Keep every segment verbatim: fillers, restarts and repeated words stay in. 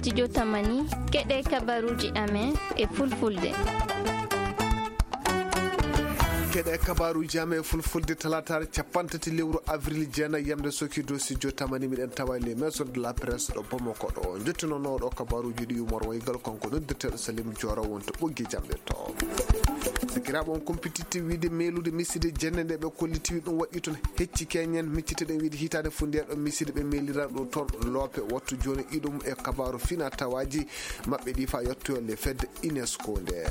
Studio Tamani, keɗee kabaruuji amen e fulfulde. Keɗee kabaruuji amen e fulfulde talaataare capanɗe tati lewru avril jeenayi, yamde sokii dow Studio Tamani, miɗen tawa e ley Maison de la Presse ɗo Bamako ɗo. Njottinooɗo kabaruuji ɗi Umar Waygal, kanko noddirteeɗo Salim Joora, woni to ɓoggi jamɗe to. Sakiraaɓe, on kumpititte wiide meelude miside jenne nde ɓe kolliti ɗum waɗi toon hecci keñen. Micciteɗen wiide hitaande fuu nde ɗo miside ɓe meelira ɗum toon loope. Wattu jooni iɗum e kabaaru fina tawaaji maɓɓe ɗi faa yottoyoo le fedde UNESCO nde.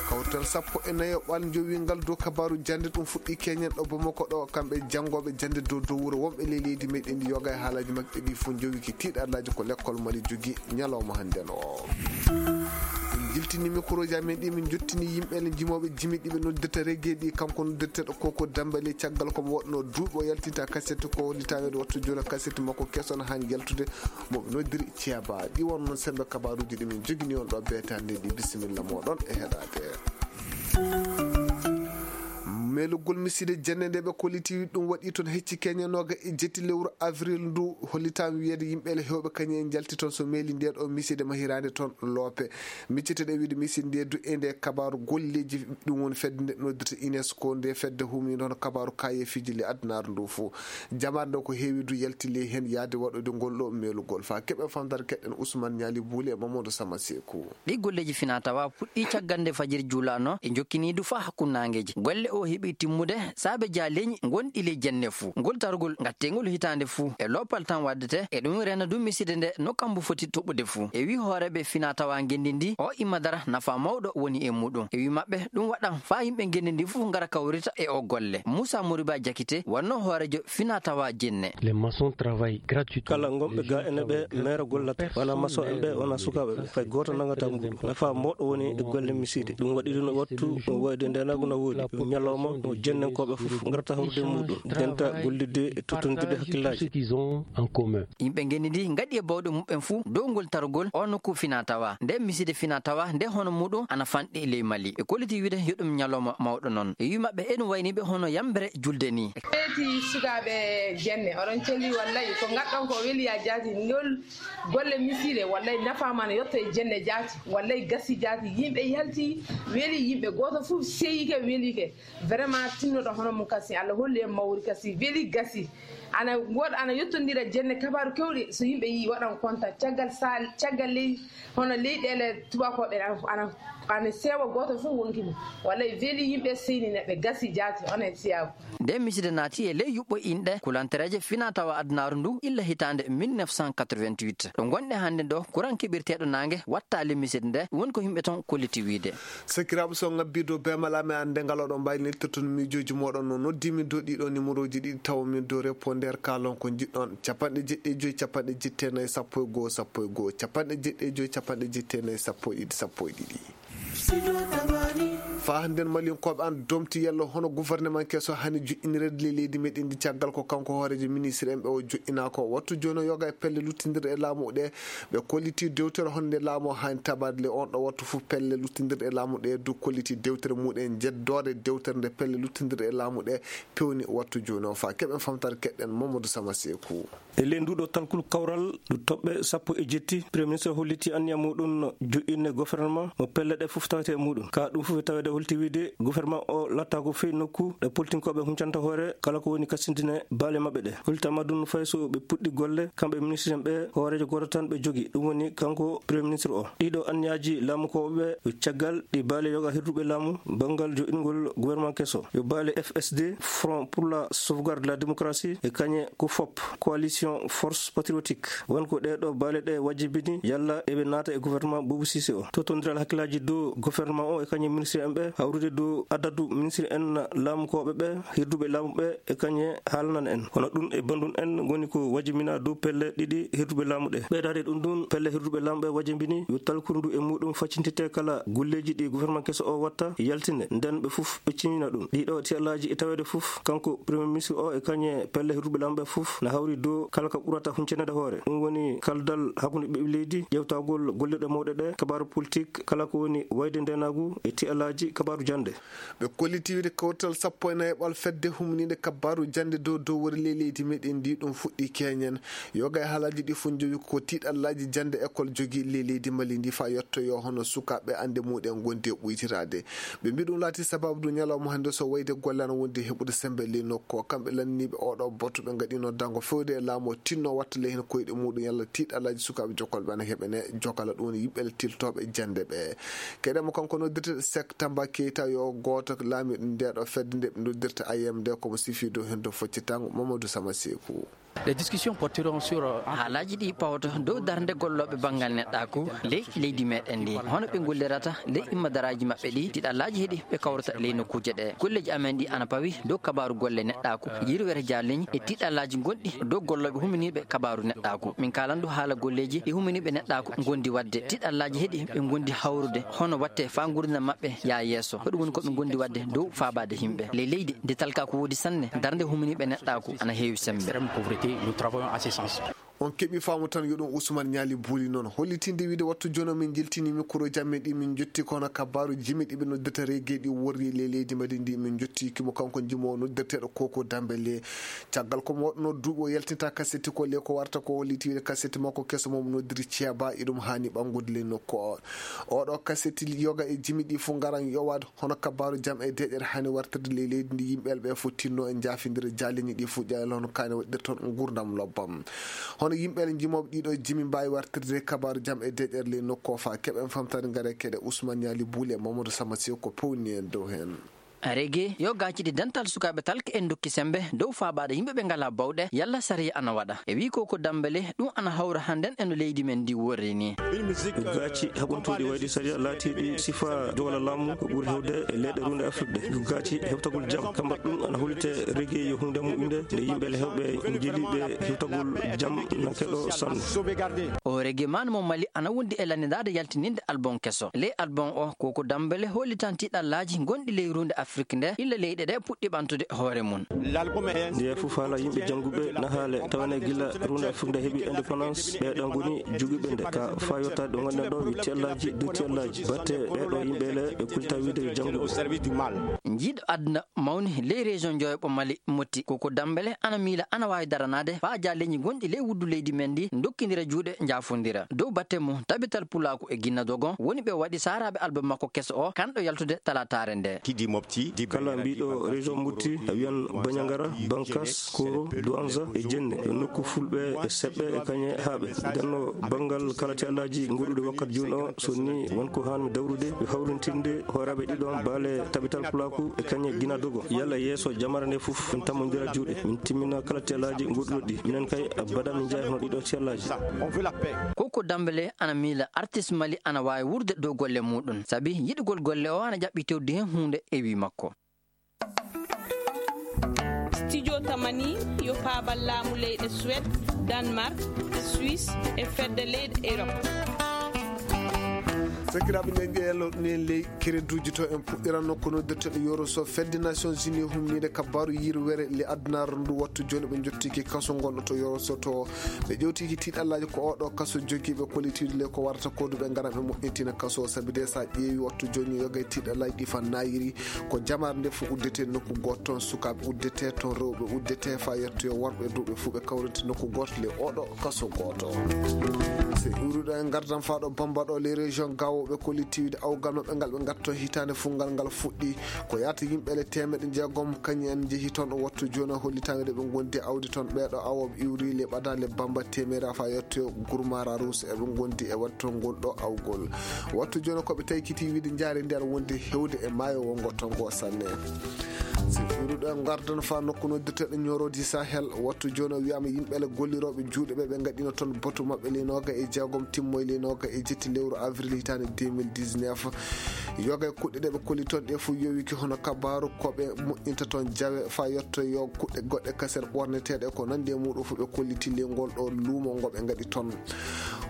Kawtal sappo e nayo ɓal njowi ngal dow kabaaru jannde ɗum fuɗɗi keñen ɗo Bamako ɗo. Kamɓe janngooɓe jannde dow dow wuro wonɓe ley leydi meɗen ndi yoga e haalaaji maɓɓe ɗi fuu njowi ki tiiɗallaaji ko lekkol Mali jogi ñalawma hannden o. Min njiltini mikrooji amen ɗi, min njottini yimɓe ne jimooɓe jimi ɗi ɓe noddirta reggae ɗi. Kanko noddirteeɗo Koko Dambale, caggal ko mo waɗnoo duuɓi o yaltinta kaset ko hollitaweede wattu jooni kaset makko keso no haani yaltude mo ɓe noddiri Ceeba. Ɗi won noon sembe kabaaruuji ɗi min jogini on ɗo beetaande ɗi. Bisimilla mooɗon e heɗaade. Meelugol miside jenne nde ɓe kolliti ɗum waɗi toon hecci keñe nooga e jetti lewru avril ndu, hollitaama wiyeede yimɓe le heewɓe kañum en njalti toon so meeli nde ɗo miside mahiraande toon loope. Micciteɗen wiide miside nde du e nde kabaaru golleeji ɗum woni fedde nde noddirta UNESCO nde fedde huminoo hono kabaaru kaayeefiiji le adunaaru ndu fof. Jamaare nde ko heewi du yalti ley heen yaade waɗude ngol ɗo meelugol faa keɓe famdare keɗen Ousmane Ñaali Buuli e Mamadou Sama Seeku. Ɗii golleeji finaa-tawaa puɗɗii caggal nde fajiri juulaanoo e njokkinii du faa hakkunde naangeeji. Golle oo heɓii timmude saabe jaaleeji ngonɗi ley jenne fuu. Ngol targol ngatteengol hitaande fuu e loppal tan waɗdetee, e ɗum reena du miside nde no kambu foti toɓɓude fuu. E wii hooreeɓe finaa-tawaa ngenndi ndii, oo imma dara nafaa mawɗo woni e muuɗum. E wii maɓɓe, ɗum waɗan faa yimɓe ngenndi ndii fuu ngara kawrita e oo golle. Muusaa Moriba Jakite wonnoo hooreejo finaa-tawaa jenne. Les maçons travaillent gratuitement. Kala ngonɓe ga ene ɓe meera gollata. Wonaa maçon en ɓe, wonaa sukaaɓe ɓe. Fay gooto nanngataa mbuuɗu. Nafaa mawɗo woni e golle miside. Ɗum waɗi ɗum wattu wayde ndeenaagu na woodi. Ñalawma mo jennenkooɓe fof ngarata hawrude e muuɗum. Ndenta gollidde e tottondirde hakkillaaji. Yimɓe ngenndi ndii ngaɗi e baawɗe muɓɓen fuu dow ngol targol oo nokku finaa-tawaa. Nde miside finaa-tawaa nde hono muuɗum ana fanɗi ley Mali. Ɓe kolliti wiide yo ɗum ñalawma mawɗo noon. E wii maɓɓe eɗum wayni ɓe hono yambere julde nii. Ɓeyti sukaaɓe jenne, oɗon celli wallay, ko ngaɗɗon ko weli yaa jaati. Ngol golle miside wallay nafaama no yotto e jenne jaati, wallay gasi jaati, yimɓe yalti, weli yimɓe, gooto fof seyike, welike. Vraiment tinnoɗo hono mum kasi, Allah holli en mawri kasi, weli gasi. Ana wood-, ana yottondira jenne kabaaru kewɗi, so yimɓe yii waɗan konta. Caggal saal, caggal ley, hono leyɗeele tubaakooɓe ana, ana, ana seewa, gooto fof wonki mum. Wallay weli yimɓe, seyni neɗɗo, gasi jaati, onon e siyaaku. Nde miside naati e ley yuɓɓo inɗe kulantereeje finaa-tawaa adunaaru ndu illa hitaande mille neuf cent quatre-vingt-huit. Ɗo ngonɗen hannde ɗo, kuran keɓirteeɗo naange wattaali miside nde, woni ko yimɓe ton kolliti wiide. Sakiraaɓe, so on ngabbii dow beemal amen, annde ngal oɗon mbaawi neltirde toon miijooji mooɗon. No noddii-mi dow ɗii ɗoo nimerooji ɗiɗi, tawa-mi dow répondeur, kaalon ko njiɗɗon, capanɗe jeɗɗi e joy, capanɗe jeɗɗi e nayi, sappo e goo, sappo e goo, capanɗe jeɗɗi e joy, capanɗe jeɗɗi e nayi, sappo e ɗiɗi, sappo e ɗiɗi. Faa hannden Malinkooɓe ana domti yalla hono gouvernement keso haani joƴƴinireede ley leydi meɗen ndi, caggal ko kanko hooreejo ministre en ɓe o joƴƴinaa ko. Wattu jooni o yoga e pelle luttindirɗe e laamu ɗe. Ɓe kolliti dewtere honde laamu o haani tabaade le on ɗo wattu fof. Pelle luttindirɗe e laamu ɗe du kolliti dewtere muɗen, jeddoore dewtere nde pelle luttindirɗe e laamu ɗe pewni wattu jooni o. Faa keɓen famtaare keɗɗen Mamadou Sama Seeku. E ley nduu ɗoo talkul kawral ndu toɓɓe sappo e jetti, Premier Ministre holliti anniya muuɗum joƴƴinde gouvernement mo pelle ɗe fof tawetee e muuɗum. Ka ɗum fof e taweede holti wiide gouvernement o lattaako fey nokku ɗo politinkooɓe huncanta hoore kala ko woni kasindine baale maɓɓe ɗe. Hollitaama ɗum no fayi so ɓe puɗɗi golle, kamɓe ministre en ɓe, hooreejo gooto tan ɓe jogi, ɗum woni kanko Premier Ministre o. Ɗii ɗoo anniyaaji laamukooɓe ɓe, yo caggal ɗi baale yoga hirduɓe laamu banngal joɗɗingol gouvernement keso, yo baale F S D, Front pour la Sauvegarde de la Démocratie, e kañe ko fop, Coalition Force Patriotique. Won ko ɗee ɗoo baale ɗe wajibini yalla eɓe naata e gouvernement Boubou Cissé o. Tottondiral hakkillaaji dow gouvernement o e kañe ministre en ɓe, hawrude dow adadu ministre en laamukooɓe ɓe, hirduɓe laamu ɓe, e kañe haalanana en. Hono ɗum e banndum en ngoni ko wajibinaa dow pelle ɗiɗi hirduɓe laamu ɗe. Ɓeydaade ɗum ɗum, pelle hirduɓe laamu ɓe wajibini yo talkuru ndu e muuɗum faccintitee kala golleeji ɗi gouvernement keso o watta, yaltine, nden ɓe fof ɓe ciñina ɗum. Ɗii ɗoo tiiɗallaaji e taweede fof, kanko Premier Ministre o e kañe pelle hirduɓe laamu ɓe fof na hawri dow kala ko ɓurata huncaneede hoore. Ɗum woni kaldal hakkunde ɓiɓɓe leydi, ƴeewtagol gollirɗe mawɗe ɗe, kabaaru politik, kala ko woni wayde ndeenaagu e tiiɗallaaji Kabaaru jannde. Ɓe kolliti wiide kawtal sappo e nayaɓal fedde humniinde kabaaru jannde dow dow wori ley leydi meɗen ndi ɗum fuɗɗi keñen. Yoga e haalaaji ɗi fof njowi ko tiiɗallaaji jannde école jogii ley leydi Mali ndi faa yettoyoo hono sukaaɓe annde muɗen ngondi e ɓuytiraade. Ɓe mbii ɗum laati sabaabu ɗum ñalawma hannde so wayde golle ana wondi heɓude semmbe ley nokku o. Kamɓe lanniiɓe oo ɗoo batu ɓe ngaɗino dango fewde e laamu o tinno watta ley heen koyɗe muɗum yalla tiiɗallaaji sukaaɓe jokkolɓe ana heɓene jokala ɗum woni yimɓe tiltooɓe jannde ɓe. Keɗe mo kanko noddirte Sek Tamba Keita yo gooto laamiiɗo nde ɗo fedde nde ɓe noddirta I M D ko mo sifi dow heen dow foccitango Mamadou Sama Seku. Les discussions porteront sur, euh, haalaaji ɗi pawoto dow darnde gollooɓe banngal neɗɗaaku ley leydi meɗen ndi, hono ɓe ngollirata ley immadaraaji maɓɓe ɗi, tiiɗallaaji heɗi ɓe kawrata ley nokkuuje ɗe. Golleeji amen ɗi ana pawi dow kabaaru golle neɗɗaaku, yirwere jaalleñi e tiiɗallaaji gonɗi dow gollooɓe huminiiɓe kabaaru neɗɗaaku. Min kaalan du haala golleeji ɗi huminiiɓe neɗɗaaku ngondi waɗde. Tiiɗallaaji heɗi ɓe ngondi hawrude hono watte faa nguurndam maɓɓe yaa yeeso. Ko ɗum woni ko ɓe ngondi waɗde dow faabaade yimɓe ley leydi nde talkaaku woodi sanne, darnde huminiiɓe neɗɗaaku ana heewi semmbe. Extrême pauvreté, nous travaillons à ce sens. On keɓi faamu tan yo ɗum Ousmane Ñaali Buuli noon. Hollitinde wiide wattu jooni min njiltini mikrooji amen ɗi min njotti ko hono kabaaru jimi ɗi ɓe noddirta reggae ɗi worri ley leydi Mali ndi min njotti kimo kanko jimoowo noddirteeɗo Koko Dambele. Caggal ko mo waɗuno duuɓi o yaltinta kaseti ko le ko warta ko holliti wiide kaseti makko keso mo mo noddiri ceeba iɗum haani ɓanngude ley nokku o. Oɗo kaseti yoga e jimi ɗi fof ngaran yowaade hono kabaaru jam e deeƴere haani wartirde ley leydi ndi yimɓe ɓe fof tinno e njaafindira jaaleñi ɗi fof ƴaayal hono kaani waɗirta toon nguurndam lobbam. Hono yimɓe njimooɓe ɗiɗo jimi mbaawi wartirde kabaaru jam e deeƴere ley nokku o faa keɓen famtaade ngare keɗe Ousmane Ñaali Buuli e Mamadou Sama Sew ko pewni en dow heen. Reggae yo gaaciɗi dental sukaaɓe talke en ndokki semmbe dow faabaade yimɓe ɓe ngalaa bawɗe yalla sariya ana waɗa. E wii ko ko Dambele ɗum ana hawra hannden e no leydi men ndi worri ni. Gaaci haɓantooɗi wayde sariya laatiiɗi sifa jowla laamu ko ɓuri hewde e leyɗe runde Afrik ɗe. Gaaci heɓtagol jam kambat ɗum ana hollite reggae yo huunde moƴƴunde nde yimɓe le hewɓe njeliiɓe heɓtagol jam na keɗo sanne. O reggae man mo Mali ana wondi e lanndaade yaltininde album keso. Ley album o, Koko Dambele hollitan tiiɗallaaji gonɗi ley ruunde Afrik nde, illa leyɗe ɗe puɗɗi ɓantude hoore mum. Nde fof haala yimɓe jannguɓe nahaale, tawane gila ruunde Afrik nde heɓi indépendance, ɓee ɗoo ngoni jogiiɓe nde. Ka faa yottaade ɗo ngonɗen ɗo, wi tiyallaaji, dow tiyallaaji. Batte ɓee ɗoo yimɓe le, ɓe kullita wiide yo jannguɓe. Njiiɗo aduna mawni ley région Njoyoɓo Mali Motti, Koko Dambele ana miila ana waawi daranaade faa jaaleeji gonɗi ley wuddu leydi men ndi ndokkindira juuɗe, njaafondira. Dow batte mum, Tabital Pulaaku e Ginna Dogon woni ɓe waɗi saaraaɓe album makko keso o, kanɗo yaltude talaataare nde. Kala mbiiɗo région Motti, a wiyan Bandiagara, Bankas, Koro, Douentza e Djenne, yo nokku fulɓe e seɓɓe e kañe haaɓe. Nden no banngal kala tiyallaaji ngoɗuɗi wakkati jooni o, so ni won ko haan mi dawrude, yo hawrintinde hooraaɓe ɗiɗo baale Tabital Pulaaku e kañe Ginna Dogon. Yalla yeeso jamaare nde fof, min tammondira juuɗe, min timmina kala tiyallaaji ngoɗuɗi ɗi. Minen kay, abada min njaay hono ɗiɗo tiyallaaji. Koko Dambele ana miila artiste Mali ana waawi wuurde dow golle muɗum, sabi yiɗugol golle o ana ƴaɓɓi tewdi heen huunde e wii makko. Studio Tamani yo paabal laamu leyɗe Suède, Danemark, Suisse e fedde leyɗe Europe. Sakiraaɓe, nden ƴeeloɗen ley kereduuji to en puɗɗiranno ko noddirteeɗo Yoroso fedde Nations Unies humniinde kabaaru yirwere le adunaaru ndu. Wattu jooni ɓe njottiki kaso ngonɗo to Yoroso to. Ɓe ƴewtiki tiiɗallaaji ko oo ɗoo kaso jogii ɓe kollitiiɗo le ko warata ko duɓe ngaran ɓe moƴƴintina kaso o. Sabi de so a ƴeewi wattu jooni yoga e tiiɗallaaji ɗi faa naayiri ko jamaare nde fof uddetee nokku gooto toon. Sukaaɓe uddetee toon, rewɓe uddetee faa yettoyoo worɓe duuɓe fof ɓe kawriti nokku gooto le oo ɗoo kaso gooto. So iwruɗo en ngardan faa ɗo Bamba ɗo les régions Gao ɓe kolliti wiide awgal maɓɓe ngal ɓe ngatto hitaande fuɗngal ngal fuɗɗi. Ko yaata yimɓe le teemeɗɗe jeegom kañum en njehi toon o wattu jooni o hollitaande ɗo ɓe ngondi awdi toon. Ɓee ɗoo awooɓe iwri le ɓadaale Bamba teemeera faa yettoyoo Gurmara Rus eɓe ngondi e waɗtongol ɗo awgol. Wattu jooni ko ɓe taykiti wiide njaari nder wondi hewde e maayo wongo tongo sanne. So iwruɗo en ngardan faa nokku noddirteeɗo Ñoorodi Sahel. Wattu jooni o wiyaama yimɓe le gollirooɓe juuɗe ɓe ɓe ngaɗino toon batu maɓɓe le nooga e jeegom timmoy le nooga e jetti lewru avril hitaande deux mille dix-neuf. Yoga e kuɗɗe ɗe ɓe kolli toon ɗe fof yowiki hono kabaaru ko ɓe moƴƴinta toon jawe faa yettoyoo kuɗɗe goɗɗe kaseer ɓorneteeɗe ko nanndi e muɗum fof ɓe kolliti le ngol ɗo luumo ngo ɓe ngaɗi toon.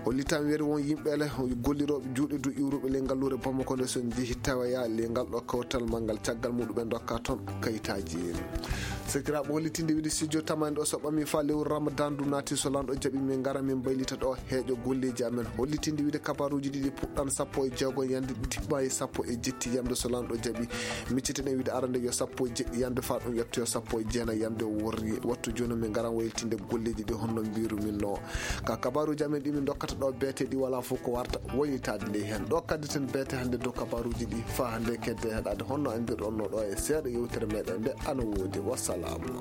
Hollitan weri won yimɓe le gollirooɓe juuɗe du iwruɓe le ngalluure Bamako nde so njehi tawoya le ngal ɗo kawtal manngal caggal muɗum ɓe ndokka toon kayitaaji. Sakiraaɓe hollitinde wiide studio Tamani ɗo so ɓami faa lewru Ramadan du naati so lanɗo jaɓi min ngara min mbaylita ɗo heeƴo golleeji amen. Hollitinde wiide kabaaruuji ɗiɗi puɗɗan sappo e jeego ñande ɗiɗi ɓaayi sappo E jetti yamde so lanɗo jaɓi. Micciten en wiide arande yo sappo e jeɗɗi yamde faa ɗum ƴettoyo sappo e jeenay yamde o worri. Wattu jooni min ngaran waylitinde golleeji ɗi honno mbiirumin no. Ka kabaaruuji amen ɗi min ndokkata ɗo beete ɗi walaa fof ko warta waylitaade ley heen. Ɗo kadditen beete hannde dow kabaaruuji ɗi faa hannde kedde heɗaade honno anndirɗon no ɗo e seeɗa yewtere meɗen nde ana woodi. Wassalaamu.